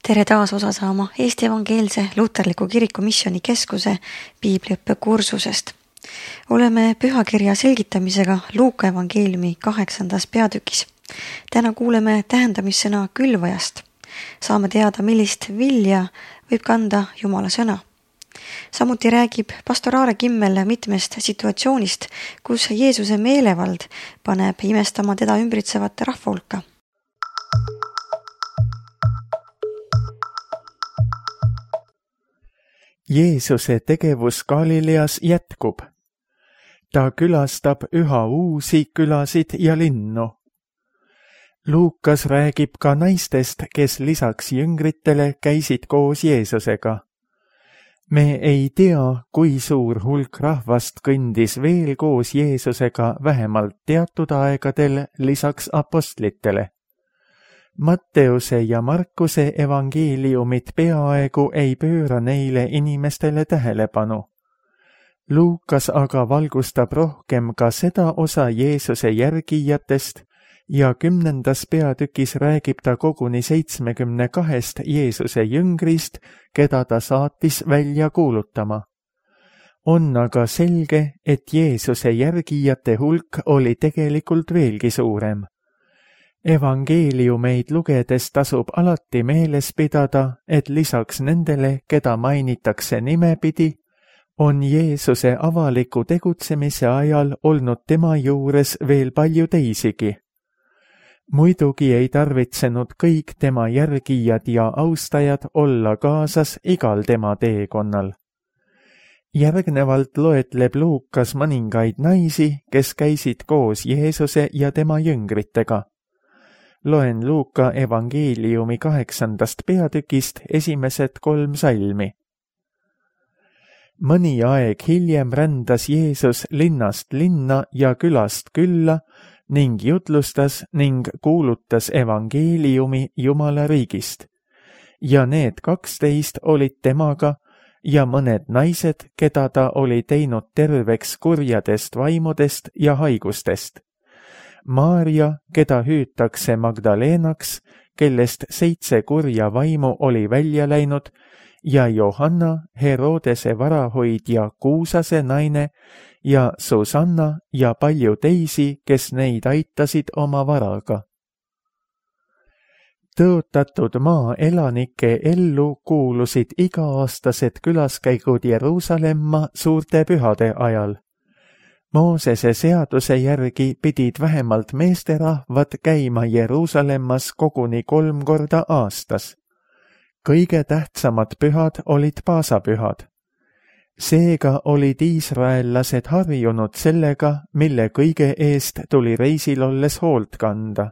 Tere taas osa saama Eesti Evangeelse Luterliku Kiriku Missioni Keskuse piibliõppe kursusest. Oleme pühakirja selgitamisega Luuka evangeeliumi 8. peatükis. Täna kuuleme tähendamissõna külvajast. Saame teada, millist vilja võib kanda Jumala sõna. Samuti räägib pastor Aare Kimmel mitmest situatsioonist, kus Jeesuse meelevald paneb imestama teda ümbritsevat rahva hulka. Jeesuse tegevus Galileas jätkub. Ta külastab üha uusi külasid ja linnu. Luukas räägib ka naistest, kes lisaks jüngritele käisid koos Jeesusega. Me ei tea, kui suur hulk rahvast kõndis veel koos Jeesusega vähemalt teatud aegadel lisaks apostlitele. Matteuse ja Markuse evangeeliumid peaaegu ei pööra neile inimestele tähelepanu. Luukas aga valgustab rohkem ka seda osa Jeesuse järgijatest ja 10. peatükis räägib ta koguni 72 Jeesuse jüngrist, keda ta saatis välja kuulutama. On aga selge, et Jeesuse järgijate hulk oli tegelikult veelgi suurem. Evangeeliumeid lugedes tasub alati meeles pidada, et lisaks nendele, keda mainitakse nimepidi, on Jeesuse avaliku tegutsemise ajal olnud tema juures veel palju teisigi. Muidugi ei tarvitsenud kõik tema järgijad ja austajad olla kaasas igal tema teekonnal. Järgnevalt loetleb Luukas mõningaid naisi, kes käisid koos Jeesuse ja tema jüngritega. Loen Luuka evangeeliumi 8. peatükist esimesed 3 salmi. Mõni aeg hiljem rändas Jeesus linnast linna ja külast külla ning jutlustas ning kuulutas evangeeliumi Jumala riigist. Ja need 12 olid temaga ja mõned naised, keda ta oli teinud terveks kurjadest vaimudest ja haigustest. Maarja, keda hüütakse Magdalenaks, kellest 7 kurja vaimu oli välja läinud, ja Johanna, Herodese varahoidja Kuusase naine, ja Susanna ja palju teisi, kes neid aitasid oma varaga. Tõotatud maa elanike ellu kuulusid iga-aastased külaskäigud Jeruusalemma suurte pühade ajal. Moosese seaduse järgi pidid vähemalt meesterahvad käima Jeruusalemmas koguni 3 korda aastas. Kõige tähtsamad pühad olid paasapühad. Seega olid iisraellased harjunud sellega, mille kõige eest tuli reisil olles hoolt kanda.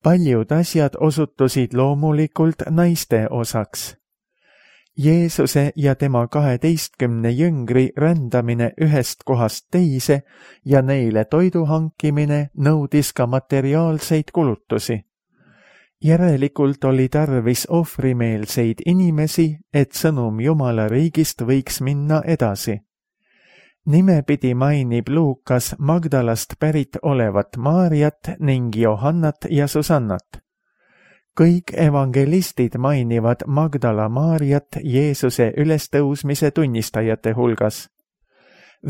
Paljud asjad osutusid loomulikult naiste osaks. Jeesuse ja tema 12 jüngri rändamine ühest kohast teise ja neile toidu hankimine nõudis ka materiaalseid kulutusi. Järelikult oli tarvis ohvrimeelseid inimesi, et sõnum Jumala riigist võiks minna edasi. Nimepidi mainib Luukas Magdalast pärit olevat Maarjat ning Johannat ja Susannat. Kõik evangelistid mainivad Magdala Maarjat Jeesuse ülestõusmise tunnistajate hulgas.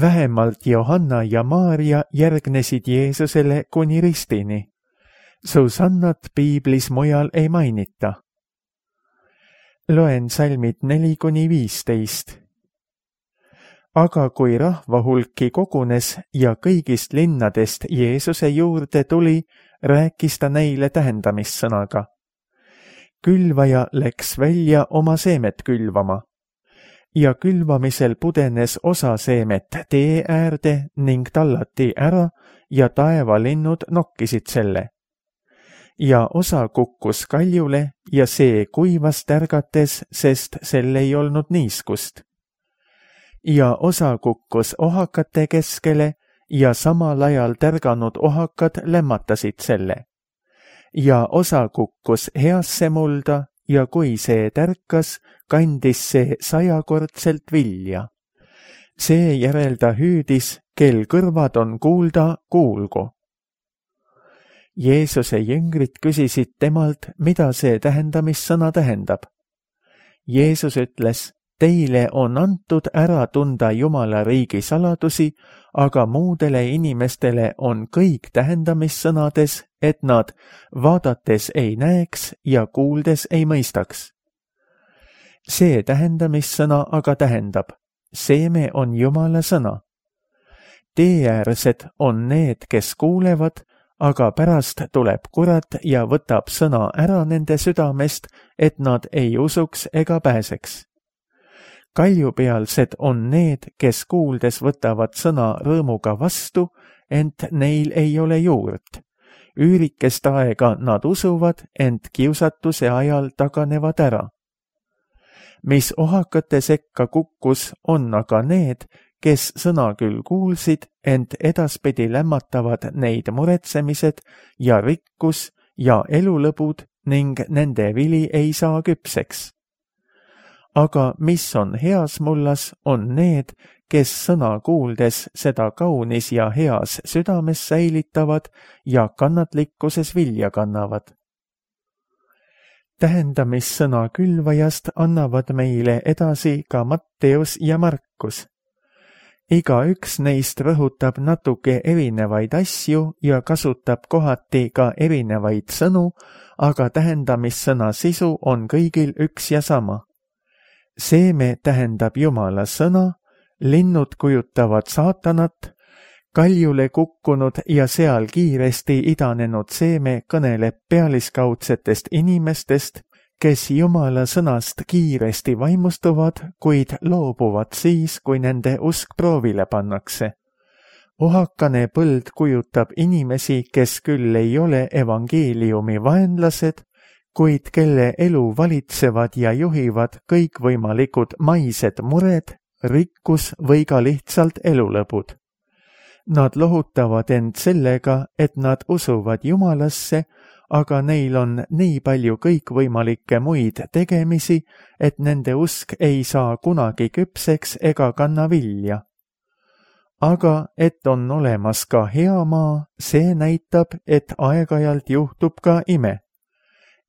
Vähemalt Johanna ja Maarja järgnesid Jeesusele kuni ristini. Susannat piiblis mujal ei mainita. Loen salmid 4-15. Aga kui rahva hulki kogunes ja kõigist linnadest Jeesuse juurde tuli, rääkis ta neile tähendamissõnaga. Külvaja läks välja oma seemet külvama. Ja külvamisel pudenes osa seemet tee äärde ning tallati ära ja taevalinnud nokkisid selle. Ja osa kukkus kaljule ja see kuivas tärgates, sest sel ei olnud niiskust. Ja osa kukkus ohakate keskele ja samal ajal tärganud ohakad lämmatasid selle. Ja osa kukkus heasse mulda ja kui see tärkas, kandis see 100-kordselt vilja. Seejärel ta hüüdis, kel kõrvad on kuulda, kuulgu. Jeesuse jüngrid küsisid temalt, mida see tähendamissõna tähendab. Jeesus ütles, teile on antud ära tunda Jumala riigi saladusi, aga muudele inimestele on kõik tähendamissõnades, et nad vaadates ei näeks ja kuuldes ei mõistaks. See tähendamissõna aga tähendab, seeme on Jumala sõna. Teeäärsed on need, kes kuulevad, aga pärast tuleb kurat ja võtab sõna ära nende südamest, et nad ei usuks ega pääseks. Kaljupealsed on need, kes kuuldes võtavad sõna rõõmuga vastu, ent neil ei ole juurt. Üürikest aega nad usuvad, ent kiusatuse ajal taganevad ära. Mis ohakate sekka kukkus, on aga need, kes sõna küll kuulsid, ent edaspidi lämmatavad neid muretsemised ja rikkus ja elulõbud ning nende vili ei saa küpseks. Aga mis on heas mullas, on need, kes sõna kuuldes seda kaunis ja heas südames säilitavad ja kannatlikkuses vilja kannavad. Tähendamissõna külvajast annavad meile edasi ka Matteus ja Markus. Igaüks neist rõhutab natuke erinevaid asju ja kasutab kohati ka erinevaid sõnu, aga tähendamissõna sisu on kõigil üks ja sama. Seeme tähendab Jumala sõna, linnud kujutavad saatanat, kaljule kukkunud ja seal kiiresti idanenud seeme kõneleb pealiskaudsetest inimestest, kes Jumala sõnast kiiresti vaimustuvad, kuid loobuvad siis, kui nende usk proovile pannakse. Ohakane põld kujutab inimesi, kes küll ei ole evangeeliumi vaenlased, kuid kelle elu valitsevad ja juhivad kõikvõimalikud maised mured, rikkus või ka lihtsalt elulõbud. Nad lohutavad end sellega, et nad usuvad Jumalasse, aga neil on nii palju kõikvõimalikke muid tegemisi, et nende usk ei saa kunagi küpseks ega kanna vilja. Aga et on olemas ka hea maa, see näitab, et aeg-ajalt juhtub ka ime.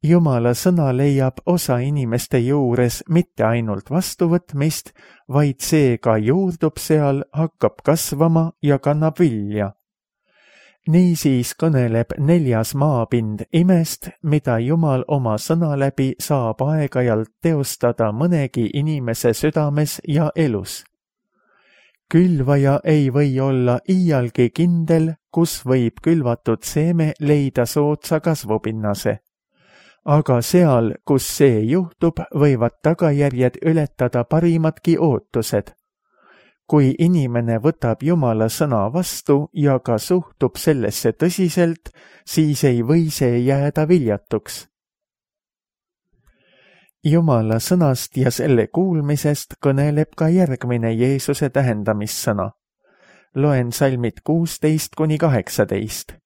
Jumala sõna leiab osa inimeste juures mitte ainult vastuvõtmist, vaid see ka juurdub seal, hakkab kasvama ja kannab vilja. Niisiis kõneleb 4. maapind imest, mida Jumal oma sõna läbi saab aeg-ajalt teostada mõnegi inimese südames ja elus. Külvaja ei või olla iialgi kindel, kus võib külvatud seeme leida soodsa kasvupinnase. Aga seal, kus see juhtub, võivad tagajärjed ületada parimatki ootused. Kui inimene võtab Jumala sõna vastu ja ka suhtub sellesse tõsiselt, siis ei või see jääda viljatuks. Jumala sõnast ja selle kuulmisest kõneleb ka järgmine Jeesuse tähendamissõna. Loen salmid 16–18.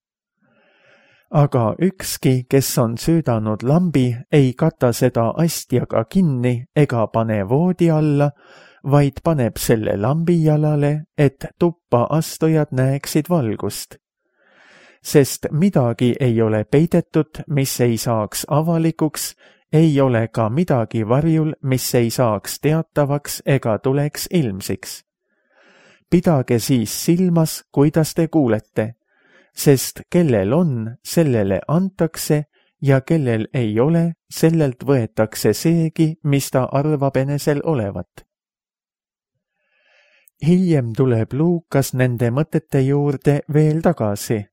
Aga ükski, kes on süüdanud lambi, ei kata seda astjaga kinni ega pane voodi alla, vaid paneb selle lambi jalale, et tuppa astujad näeksid valgust. Sest midagi ei ole peidetud, mis ei saaks avalikuks, ei ole ka midagi varjul, mis ei saaks teatavaks ega tuleks ilmsiks. Pidage siis silmas, kuidas te kuulete, sest kellel on, sellele antakse ja kellel ei ole, sellelt võetakse seegi, mis ta arvab enesel olevat. Hiljem tuleb Luukas nende mõtete juurde veel tagasi.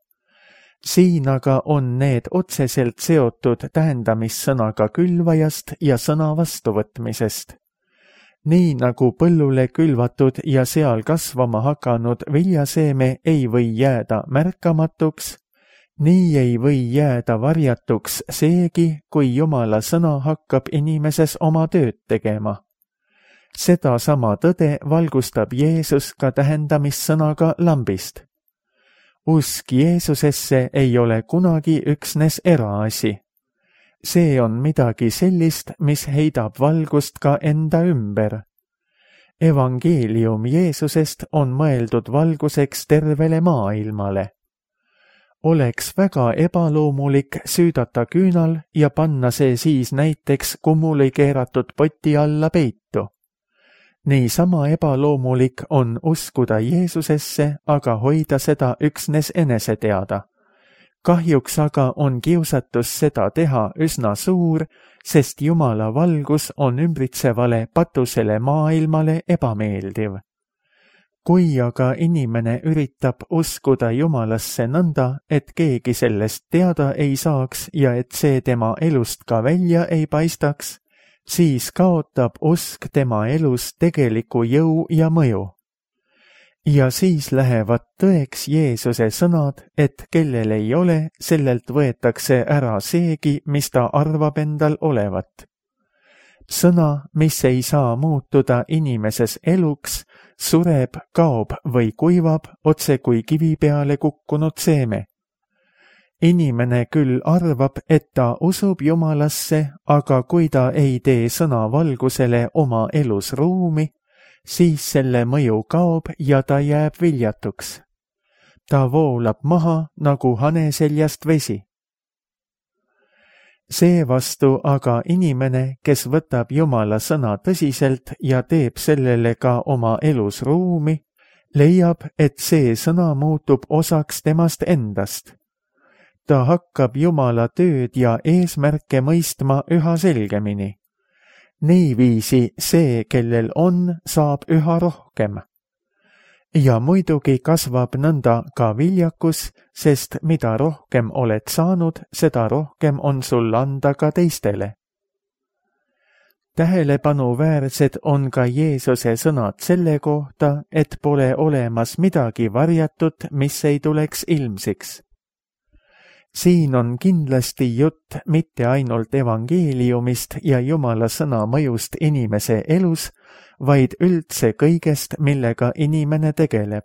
Siin aga on need otseselt seotud tähendamissõnaga külvajast ja sõna vastuvõtmisest. Nii nagu põllule külvatud ja seal kasvama hakanud viljaseeme ei või jääda märkamatuks, nii ei või jääda varjatuks seegi, kui Jumala sõna hakkab inimeses oma tööd tegema. Seda sama tõde valgustab Jeesus ka tähendamissõnaga lambist. Usk Jeesusesse ei ole kunagi üksnes eraasi. See on midagi sellist, mis heidab valgust ka enda ümber. Evangeelium Jeesusest on mõeldud valguseks tervele maailmale. Oleks väga ebaloomulik süüdata küünal ja panna see siis näiteks kummuli keeratud poti alla peitu. Niisama ebaloomulik on uskuda Jeesusesse, aga hoida seda üksnes enese teada. Kahjuks aga on kiusatus seda teha üsna suur, sest Jumala valgus on ümbritsevale patusele maailmale ebameeldiv. Kui aga inimene üritab uskuda Jumalasse nõnda, et keegi sellest teada ei saaks ja et see tema elust ka välja ei paistaks, siis kaotab usk tema elus tegeliku jõu ja mõju. Ja siis lähevad tõeks Jeesuse sõnad, et kellel ei ole, sellelt võetakse ära seegi, mis ta arvab endal olevat. Sõna, mis ei saa muutuda inimeses eluks, sureb, kaob või kuivab otse kui kivi peale kukkunud seeme. Inimene küll arvab, et ta usub Jumalasse, aga kui ta ei tee sõna valgusele oma elus ruumi, siis selle mõju kaob ja ta jääb viljatuks. Ta voolab maha nagu hane seljast vesi. Seevastu aga inimene, kes võtab Jumala sõna tõsiselt ja teeb sellele ka oma elus ruumi, leiab, et see sõna muutub osaks temast endast. Ta hakkab Jumala tööd ja eesmärke mõistma üha selgemini. Niiviisi see, kellel on, saab üha rohkem. Ja muidugi kasvab nõnda ka viljakus, sest mida rohkem oled saanud, seda rohkem on sul anda ka teistele. Tähelepanu-väärsed on ka Jeesuse sõnad selle kohta, et pole olemas midagi varjatut, mis ei tuleks ilmsiks. Siin on kindlasti jutt mitte ainult evangeeliumist ja Jumala sõna mõjust inimese elus, vaid üldse kõigest, millega inimene tegeleb.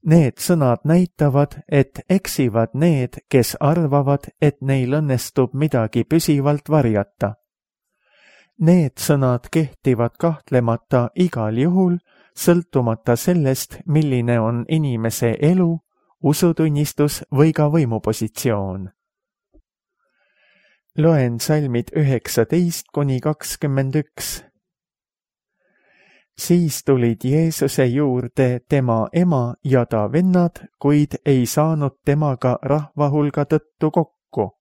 Need sõnad näitavad, et eksivad need, kes arvavad, et neil õnnestub midagi püsivalt varjata. Need sõnad kehtivad kahtlemata igal juhul, sõltumata sellest, milline on inimese elu, usutunnistus või ka võimupositsioon. Loen salmid 19–21. Siis tulid Jeesuse juurde tema ema ja ta vennad, kuid ei saanud temaga rahvahulga tõttu kokku.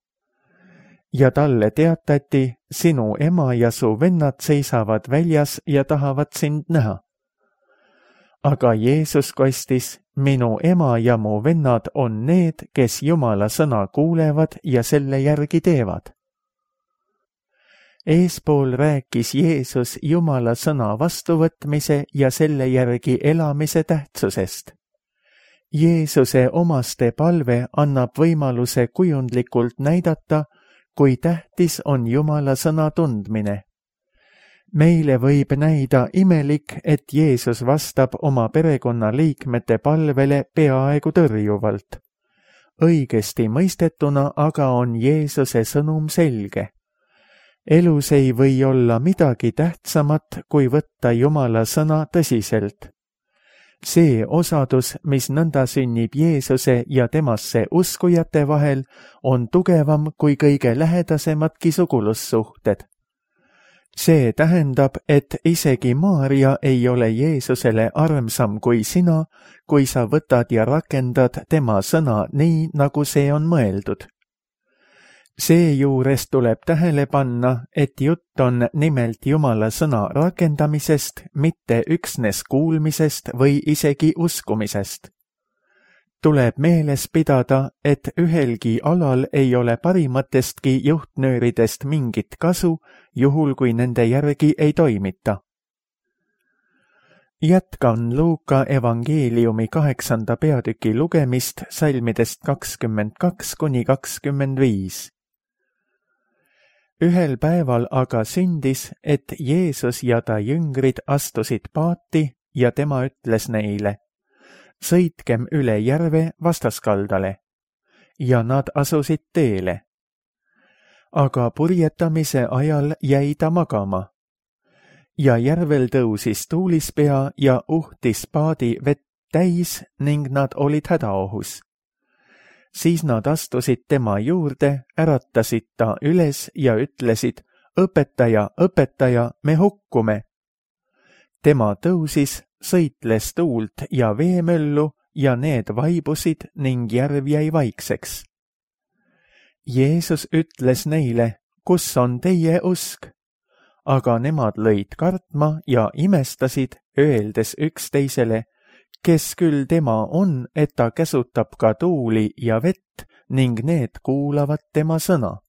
Ja talle teatati, sinu ema ja su vennad seisavad väljas ja tahavad sind näha. Aga Jeesus kostis, minu ema ja mu vennad on need, kes Jumala sõna kuulevad ja selle järgi teevad. Eespool rääkis Jeesus Jumala sõna vastuvõtmise ja selle järgi elamise tähtsusest. Jeesuse omaste palve annab võimaluse kujundlikult näidata, kui tähtis on Jumala sõna tundmine. Meile võib näida imelik, et Jeesus vastab oma perekonnaliikmete palvele peaaegu tõrjuvalt. Õigesti mõistetuna aga on Jeesuse sõnum selge. Elus ei või olla midagi tähtsamat, kui võtta Jumala sõna tõsiselt. See osadus, mis nõnda sünnib Jeesuse ja temasse uskujate vahel, on tugevam kui kõige lähedasemadki sugulussuhted. See tähendab, et isegi Maarja ei ole Jeesusele armsam kui sina, kui sa võtad ja rakendad tema sõna nii, nagu see on mõeldud. Seejuures tuleb tähele panna, et jutt on nimelt Jumala sõna rakendamisest, mitte üksnes kuulmisest või isegi uskumisest. Tuleb meeles pidada, et ühelgi alal ei ole parimatestki juhtnööridest mingit kasu, juhul kui nende järgi ei toimita. Jätkan Luuka evangeeliumi 8. peatüki lugemist salmidest 22–25. Ühel päeval aga sündis, et Jeesus ja ta jüngrid astusid paati ja tema ütles neile, sõitkem üle järve vastaskaldale, ja nad asusid teele. Aga purjetamise ajal jäi ta magama. Ja järvel tõusis tuulispea ja uhtis paadi vett täis ning nad olid hädaohus. siis nad astusid tema juurde, äratasid ta üles ja ütlesid: õpetaja, õpetaja, me hukkume. Tema tõusis, sõitles tuult ja veemöllu ja need vaibusid ning järv jäi vaikseks. Jeesus ütles neile: kus on teie usk? Aga nemad lõid kartma ja imestasid, öeldes üksteisele: kes küll tema on, et ta käsutab ka tuuli ja vett ning need kuulavad tema sõna.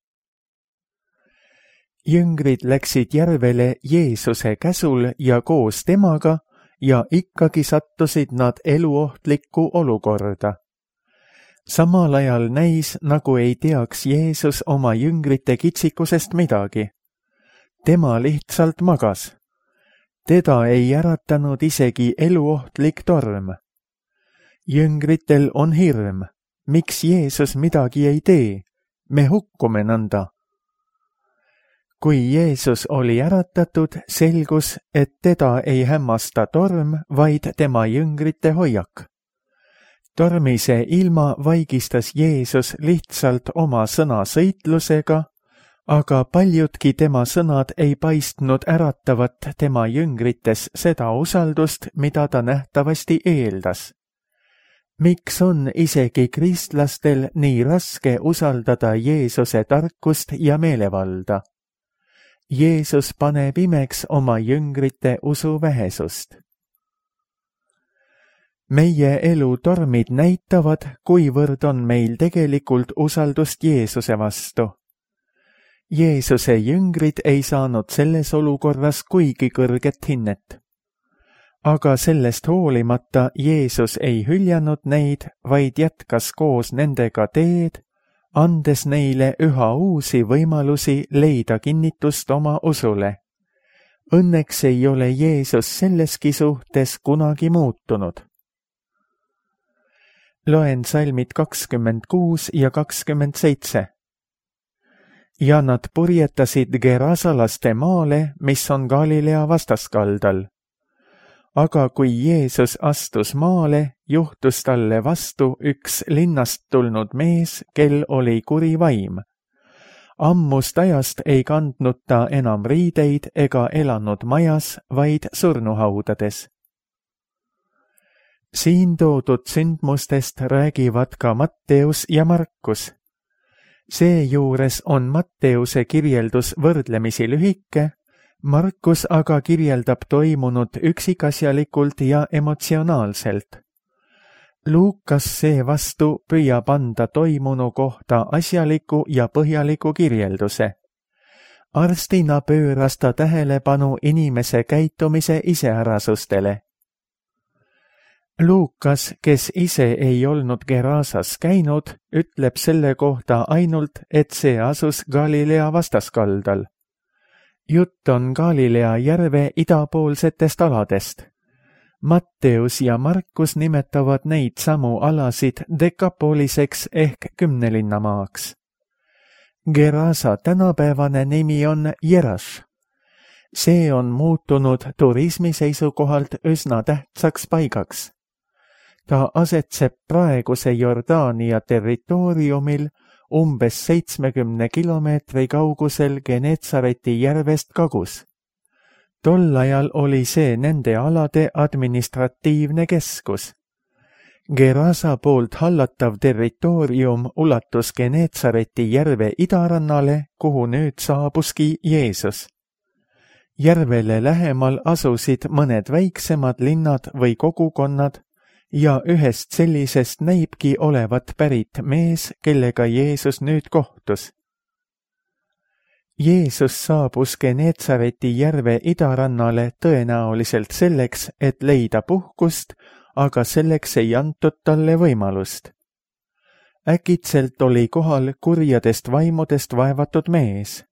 Jüngrid läksid järvele Jeesuse käsul ja koos temaga ja ikkagi sattusid nad eluohtlikku olukorda. Samal ajal näis, nagu ei teaks Jeesus oma jüngrite kitsikusest midagi. Tema lihtsalt magas. Teda ei äratanud isegi eluohtlik torm. Jüngritel on hirm. Miks Jeesus midagi ei tee? Me hukkume nõnda. Kui Jeesus oli äratatud, selgus, et teda ei hämmasta torm, vaid tema jüngrite hoiak. Tormise ilma vaigistas Jeesus lihtsalt oma sõnasõitlusega, aga paljudki tema sõnad ei paistnud äratavat tema jüngrites seda usaldust, mida ta nähtavasti eeldas. Miks on isegi kristlastel nii raske usaldada Jeesuse tarkust ja meelevalda? Jeesus paneb imeks oma jüngrite usuvähesust. Meie elu tormid näitavad, kuivõrd on meil tegelikult usaldust Jeesuse vastu. Jeesuse jüngrid ei saanud selles olukorras kuigi kõrget hinnet. Aga sellest hoolimata Jeesus ei hüljanud neid, vaid jätkas koos nendega teed, andes neile üha uusi võimalusi leida kinnitust oma usule. Õnneks ei ole Jeesus selleski suhtes kunagi muutunud. Loen salmid 26 ja 27. Ja nad purjetasid Gerasalaste maale, mis on Galilea vastaskaldal. Aga kui Jeesus astus maale, juhtus talle vastu üks linnast tulnud mees, kel oli kuri vaim. Ammust ajast ei kandnud ta enam riideid ega elanud majas, vaid surnuhaudades. Siin toodud sündmustest räägivad ka Matteus ja Markus. Seejuures on Matteuse kirjeldus võrdlemisi lühike, Markus aga kirjeldab toimunut üksikasjalikult ja emotsionaalselt. Luukas seevastu püüab anda toimunu kohta asjaliku ja põhjaliku kirjelduse. Arstina pööras ta tähelepanu inimese käitumise iseärasustele. Luukas, kes ise ei olnud Gerasas käinud, ütleb selle kohta ainult, et see asus Galilea vastaskaldal. Jutt on Galilea järve idapoolsetest aladest. Matteus ja Markus nimetavad neid samu alasid Dekapoliseks ehk 10 linnamaaks. Gerasa tänapäevane nimi on Jeraš. See on muutunud turismi seisukohalt üsna tähtsaks paigaks. Ta asetseb praeguse Jordaania territooriumil umbes 70 kilomeetri kaugusel Genetsareti järvest kagus. Tol ajal oli see nende alade administratiivne keskus. Gerasa poolt hallatav territoorium ulatus Genetsareti järve idarannale, kuhu nüüd saabuski Jeesus. Järvele lähemal asusid mõned väiksemad linnad või kogukonnad, ja ühest sellisest näibki olevat pärit mees, kellega Jeesus nüüd kohtus. Jeesus saabus Genetsareti järve idarannale tõenäoliselt selleks, et leida puhkust, aga selleks ei antud talle võimalust. Äkitselt oli kohal kurjadest vaimudest vaevatud mees.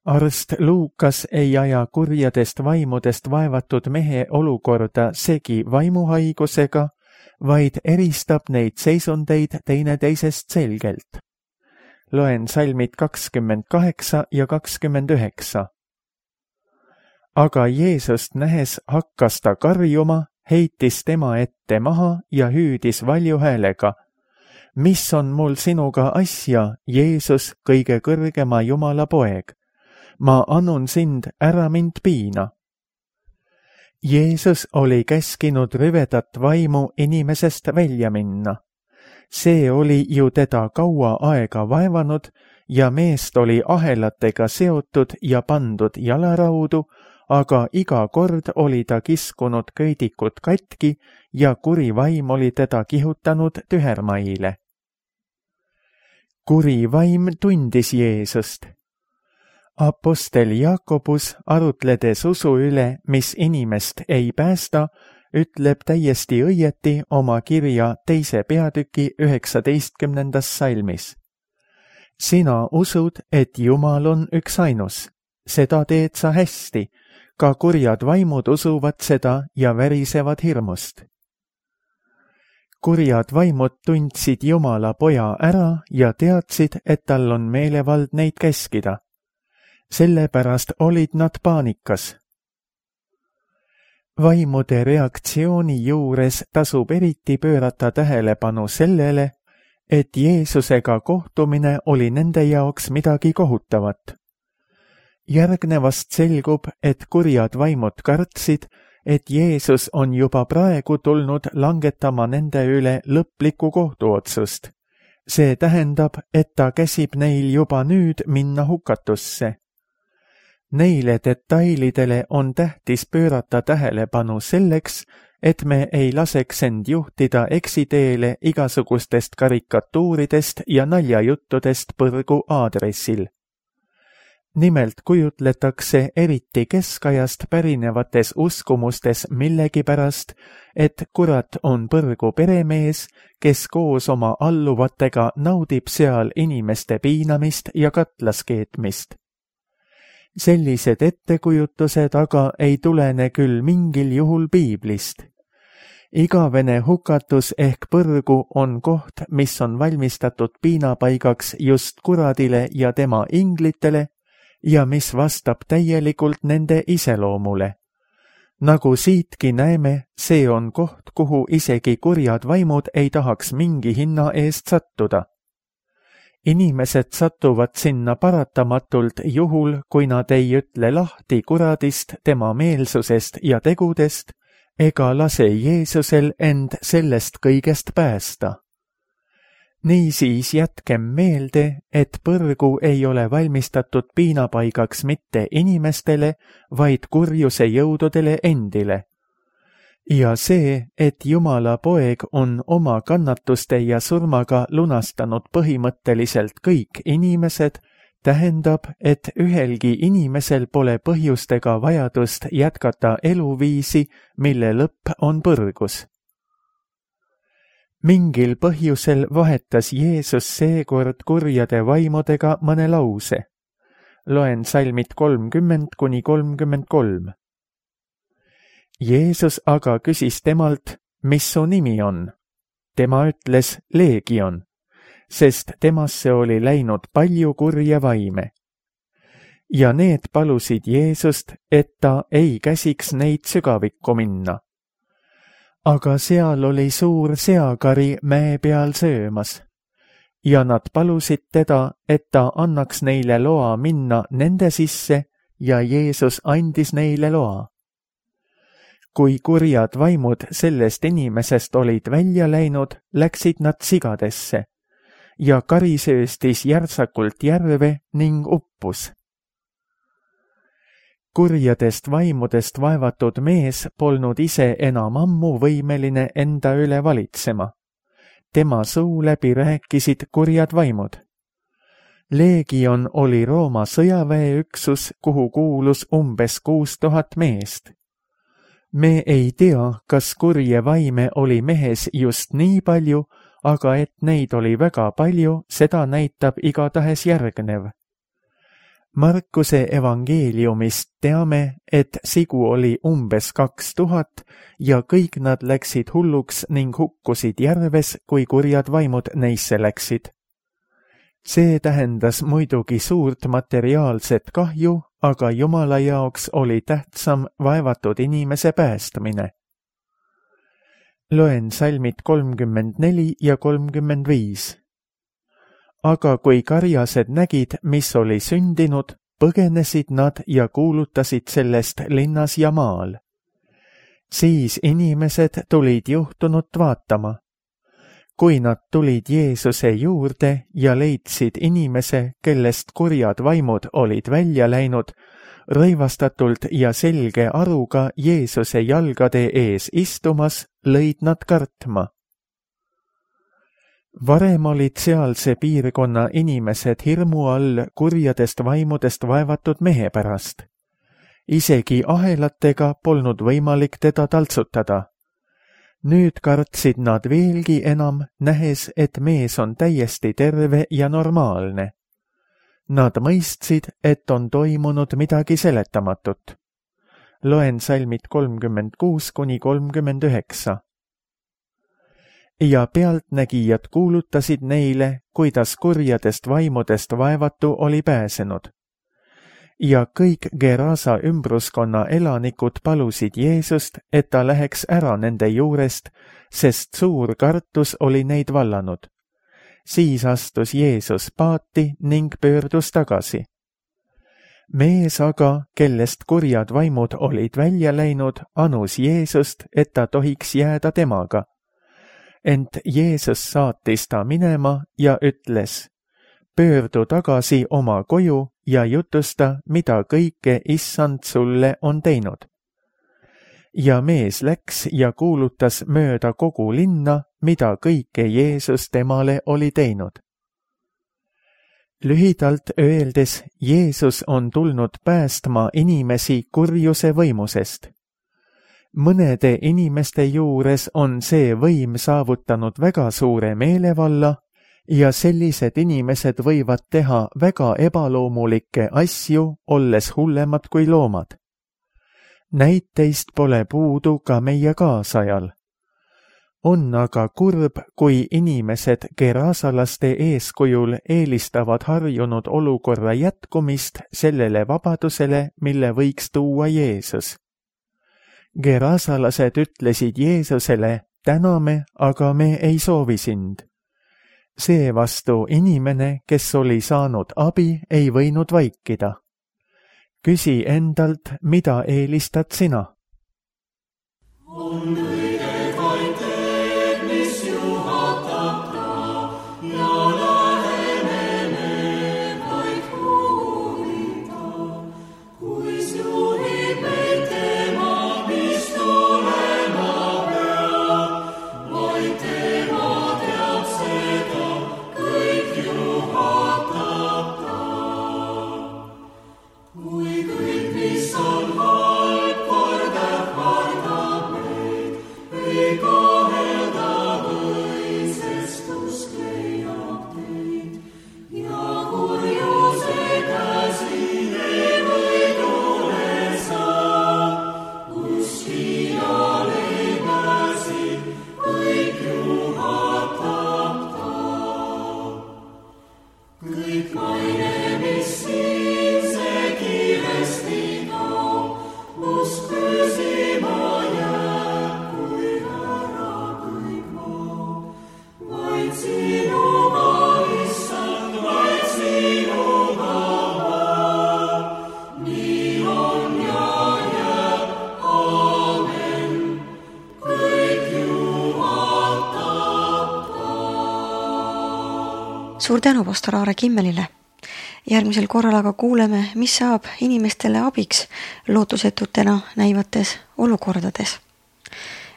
Arst Luukas ei aja kurjadest vaimudest vaevatud mehe olukorda segi vaimuhaigusega, vaid eristab neid seisundeid teineteisest selgelt. Loen salmid 28 ja 29. Aga Jeesust nähes hakkas ta karjuma, heitis tema ette maha ja hüüdis valju häälega: mis on mul sinuga asja, Jeesus, kõige kõrgema Jumala poeg? Ma annun sind, ära mind piina. Jeesus oli käskinud rüvedat vaimu inimesest välja minna. See oli ju teda kaua aega vaevanud ja meest oli ahelatega seotud ja pandud jalaraudu, aga iga kord oli ta kiskunud köidikut katki ja kuri vaim oli teda kihutanud tühermaile. Kuri vaim tundis Jeesust. Apostel Jakobus, arutledes usu üle, mis inimest ei päästa, ütleb täiesti õieti oma kirja 2. peatüki 19. salmis. Sina usud, et Jumal on üksainus. Seda teed sa hästi. Ka kurjad vaimud usuvad seda ja värisevad hirmust. Kurjad vaimud tundsid Jumala poja ära ja teadsid, et tal on meelevald neid käskida. Sellepärast olid nad paanikas. Vaimude reaktsiooni juures tasub eriti pöörata tähelepanu sellele, et Jeesusega kohtumine oli nende jaoks midagi kohutavat. Järgnevast selgub, et kurjad vaimud kartsid, et Jeesus on juba praegu tulnud langetama nende üle lõplikku kohtuotsust. See tähendab, et ta käsib neil juba nüüd minna hukatusse. Neile detailidele on tähtis pöörata tähelepanu selleks, et me ei laseks end juhtida eksiteele igasugustest karikatuuridest ja naljajuttudest põrgu aadressil. Nimelt kujutletakse eriti keskajast pärinevates uskumustes millegipärast, et kurat on põrgu peremees, kes koos oma alluvatega naudib seal inimeste piinamist ja katlaskeetmist. Sellised ettekujutused aga ei tulene küll mingil juhul piiblist. Igavene hukatus ehk põrgu on koht, mis on valmistatud piinapaigaks just kuradile ja tema inglitele ja mis vastab täielikult nende iseloomule. Nagu siitki näeme, see on koht, kuhu isegi kurjad vaimud ei tahaks mingi hinna eest sattuda. Inimesed satuvad sinna paratamatult juhul, kui nad ei ütle lahti kuradist, tema meelsusest ja tegudest, ega lase Jeesusel end sellest kõigest päästa. Niisiis jätkem meelde, et põrgu ei ole valmistatud piinapaigaks mitte inimestele, vaid kurjuse jõududele endile. Ja see, et Jumala poeg on oma kannatuste ja surmaga lunastanud põhimõtteliselt kõik inimesed, tähendab, et ühelgi inimesel pole põhjust ega vajadust jätkata eluviisi, mille lõpp on põrgus. Mingil põhjusel vahetas Jeesus seekord kurjade vaimudega mõne lause. Loen salmid 30–33. Jeesus aga küsis temalt, mis su nimi on? Tema ütles Leegion, sest temasse oli läinud palju kurje vaime. Ja need palusid Jeesust, et ta ei käsiks neid sügavikku minna. Aga seal oli suur seakari mäe peal söömas. Ja nad palusid teda, et ta annaks neile loa minna nende sisse ja Jeesus andis neile loa. Kui kurjad vaimud sellest inimesest olid välja läinud, läksid nad sigadesse ja kari sööstis järsakult järve ning uppus. Kurjadest vaimudest vaevatud mees polnud ise enam ammu võimeline enda üle valitsema. Tema suu läbi rääkisid kurjad vaimud. Leegion oli Rooma sõjaväeüksus, kuhu kuulus umbes 6000 meest. Me ei tea, kas kurje vaime oli mehes just nii palju, aga et neid oli väga palju, seda näitab igatahes järgnev. Markuse evangeeliumist teame, et sigu oli umbes 2000 ja kõik nad läksid hulluks ning hukkusid järves, kui kurjad vaimud neisse läksid. See tähendas muidugi suurt materiaalset kahju, aga Jumala jaoks oli tähtsam vaevatud inimese päästmine. Loen salmid 34 ja 35. Aga kui karjased nägid, mis oli sündinud, põgenesid nad ja kuulutasid sellest linnas ja maal. Siis inimesed tulid juhtunut vaatama. Kui nad tulid Jeesuse juurde ja leidsid inimese, kellest kurjad vaimud olid välja läinud, rõivastatult ja selge aruga Jeesuse jalgade ees istumas, lõid nad kartma. Varem olid sealse piirkonna inimesed hirmu all kurjadest vaimudest vaevatud mehe pärast. Isegi ahelatega polnud võimalik teda taltsutada. Nüüd kartsid nad veelgi enam, nähes, et mees on täiesti terve ja normaalne. Nad mõistsid, et on toimunud midagi seletamatut. Loen salmid 36 kuni 39. Ja pealtnägijad kuulutasid neile, kuidas kurjadest vaimudest vaevatu oli pääsenud. Ja kõik Gerasa ümbruskonna elanikud palusid Jeesust, et ta läheks ära nende juurest, sest suur kartus oli neid vallanud. Siis astus Jeesus paati ning pöördus tagasi. Mees aga, kellest kurjad vaimud olid välja läinud, anus Jeesust, et ta tohiks jääda temaga. Ent Jeesus saatis ta minema ja ütles, pöördu tagasi oma koju ja jutusta, mida kõike Issand sulle on teinud. Ja mees läks ja kuulutas mööda kogu linna, mida kõike Jeesus temale oli teinud. Lühidalt öeldes, Jeesus on tulnud päästma inimesi kurjuse võimusest. Mõnede inimeste juures on see võim saavutanud väga suure meelevalla ja sellised inimesed võivad teha väga ebaloomulikke asju, olles hullemad kui loomad. Näiteist pole puudu ka meie kaasajal. On aga kurb, kui inimesed gerasalaste eeskujul eelistavad harjunud olukorra jätkumist sellele vabadusele, mille võiks tuua Jeesus. Gerasalased ütlesid Jeesusele, täname, aga me ei soovi sind. Seevastu inimene, kes oli saanud abi, ei võinud vaikida. Küsi endalt, mida eelistad sina? On kõige vaid teed, mis juhatab ta ja läheneme vaid huulida. Kuis juhib meid tema, mis tulema peab, vaid tema teab seda, kõik juhatab ta. Kui kõik, mis on halb, kordab meid, ei kahelda või, sest usk leiab teid. Ja kurjuse käsi ei või tule saab, uskijal ei pääsi, kõik juhatab ta. Kõik maine, mis siin see kiiresti kaob, usk püsima jääb, kui ära kõik maab. Vaid sinuga, Issand, vaid sinuga ma. Nii on ja jääb, aamen, kõik juhatab ta. Suur tänu pastor Aare Kimmelile. Järgmisel korral aga kuuleme, mis saab inimestele abiks lootusetutena näivates olukordades.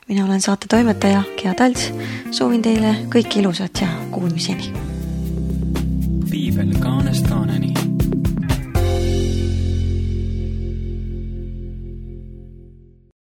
Mina olen saate toimetaja Gea Talts. Soovin teile kõike ilusat ja kuulmiseni. Piibel ka